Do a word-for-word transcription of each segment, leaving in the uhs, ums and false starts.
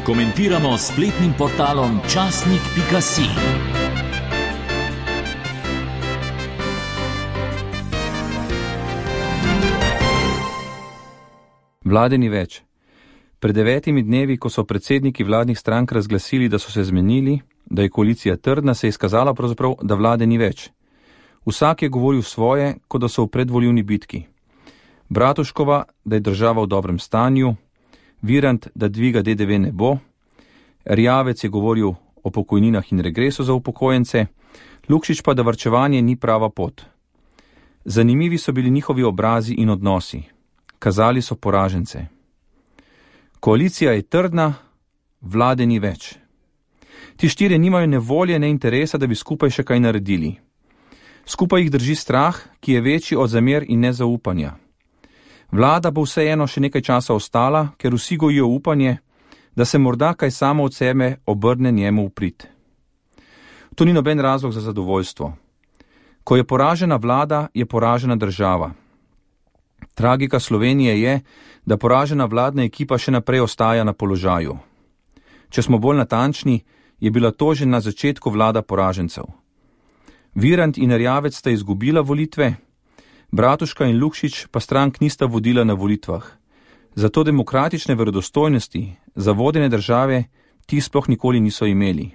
komentiramo s spletnim portalom časnik pika si. Vlade ni več. Pred devetimi dnevi, ko so predsedniki vladnih strank razglasili, da so se zmenili, da je koalicija trdna, se je izkazalo pravzaprav, da vlade ni več. Vsak je govoril svoje, kot da so v predvolilni bitki. Bratuškova, da je država v dobrem stanju, Virant, da dviga de de ve ne bo, Erjavec je govoril o pokojninah in regresu za upokojence, Lukšič pa, da varčevanje ni prava pot. Zanimivi so bili njihovi obrazi in odnosi. Kazali so poražence. Koalicija je trdna, vlade ni več. Ti štirje nimajo ne volje, ne interesa, da bi skupaj še kaj naredili. Skupaj jih drži strah, ki je večji od zamer in nezaupanja. Vlada bo vseeno še nekaj časa ostala, ker vsi gojijo upanje, da se morda kaj samo od sebe obrne njemu v prid. To ni noben razlog za zadovoljstvo. Ko je poražena vlada, je poražena država. Tragika Slovenije je, da poražena vladna ekipa še naprej ostaja na položaju. Če smo bolj natančni, je bila to že na začetku vlada poražencev. Virant in Erjavec sta izgubila volitve, Bratuška in Lukšič pa strank nista vodila na volitvah. Zato demokratične verodostojnosti za vodenje države ti sploh nikoli niso imeli.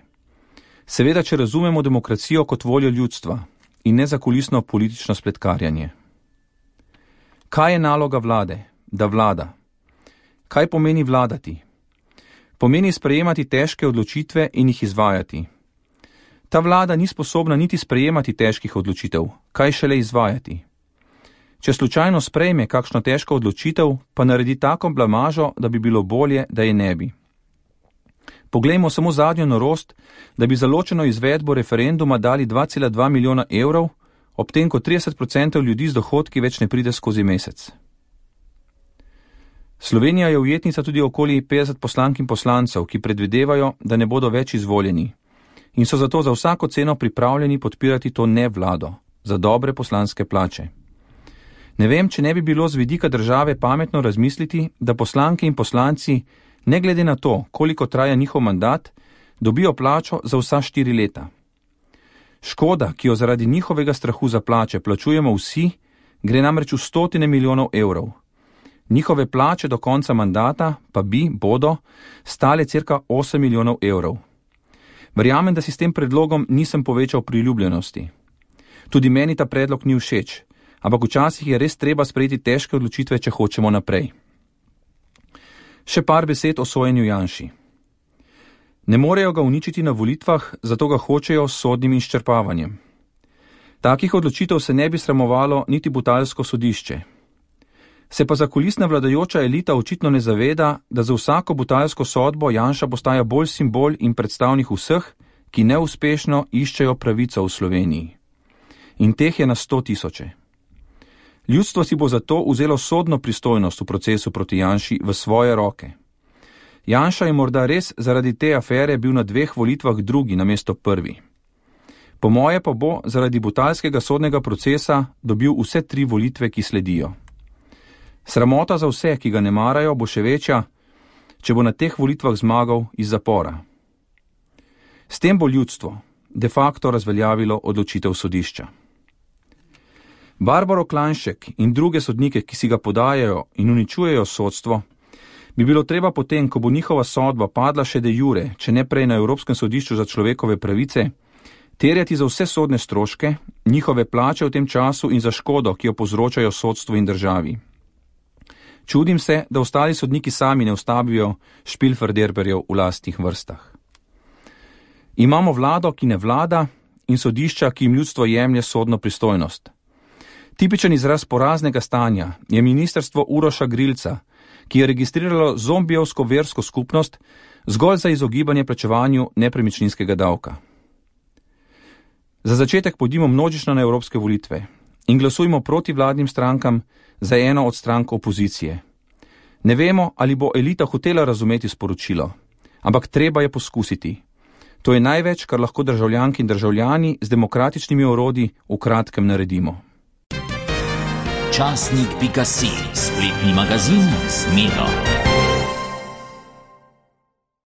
Seveda, če razumemo demokracijo kot voljo ljudstva in ne zakulisno politično spletkarjanje. Kaj je naloga vlade? Da vlada. Kaj pomeni vladati? Pomeni sprejemati težke odločitve in jih izvajati. Ta vlada ni sposobna niti sprejemati težkih odločitev, kaj šele izvajati. Če slučajno sprejme kakšno težko odločitev, pa naredi tako blamažo, da bi bilo bolje, da je ne bi. Poglejmo samo zadnjo norost, da bi za ločeno izvedbo referenduma dali dva cela dva milijona evrov, ob tem, ko trideset procentov ljudi z dohodki več ne pride skozi mesec. Slovenija je ujetnica tudi okoli petdeset poslank in poslancev, ki predvidevajo, da ne bodo več izvoljeni in so zato za vsako ceno pripravljeni podpirati to ne vlado, za dobre poslanske plače. Ne vem, če ne bi bilo z vidika države pametno razmisliti, da poslanke in poslanci, ne glede na to, koliko traja njihov mandat, dobijo plačo za vsa štiri leta. Škoda, ki jo zaradi njihovega strahu za plače plačujemo vsi, gre namreč v stotine milijonov evrov. Njihove plače do konca mandata pa bi, bodo, stale cirka osem milijonov evrov. Verjamem, da si s tem predlogom nisem povečal priljubljenosti. Tudi meni ta predlog ni všeč, ampak včasih je res treba sprejeti težke odločitve, če hočemo naprej. Še par besed o sojenju Janši. Ne morejo ga uničiti na volitvah, zato ga hočejo s sodnim izčrpavanjem. Takih odločitev se ne bi sramovalo niti Butalsko sodišče. Se pa zakulisna vladajoča elita očitno ne zaveda, da za vsako butalsko sodbo Janša postaja bolj simbol in predstavnik vseh, ki neuspešno iščejo pravico v Sloveniji. In teh je na sto tisoče. Ljudstvo si bo zato vzelo sodno pristojnost v procesu proti Janši v svoje roke. Janša je morda res zaradi te afere bil na dveh volitvah drugi namesto prvi. Po moje pa bo zaradi butalskega sodnega procesa dobil vse tri volitve, ki sledijo. Sramota za vse, ki ga ne marajo, bo še večja, če bo na teh volitvah zmagal iz zapora. S tem bo ljudstvo de facto razveljavilo odločitev sodišča. Barbaro Klajnšek in druge sodnike, ki si ga podajajo in uničujejo sodstvo, bi bilo treba potem, ko bo njihova sodba padla še de jure, če ne prej na Evropskem sodišču za človekove pravice, terjati za vse sodne stroške, njihove plače v tem času in za škodo, ki jo povzročajo sodstvu in državi. Čudim se, da ostali sodniki sami ne ustavijo špilferderberjev v lastnih vrstah. Imamo vlado, ki ne vlada, in sodišča, ki jim ljudstvo jemlje sodno pristojnost. Tipičen izraz poraznega stanja je ministrstvo Uroša Grilca, ki je registriralo zombijevsko versko skupnost zgolj za izogibanje plačevanju nepremičninskega davka. Za začetek pojdimo množično na evropske volitve in glasujmo proti vladnim strankam za eno od strank opozicije. Ne vemo, ali bo elita hotela razumeti sporočilo, ampak treba je poskusiti. To je največ, kar lahko državljanki in državljani z demokratičnimi orodji v kratkem naredimo. časnik pika si, spletni magazin z Miro.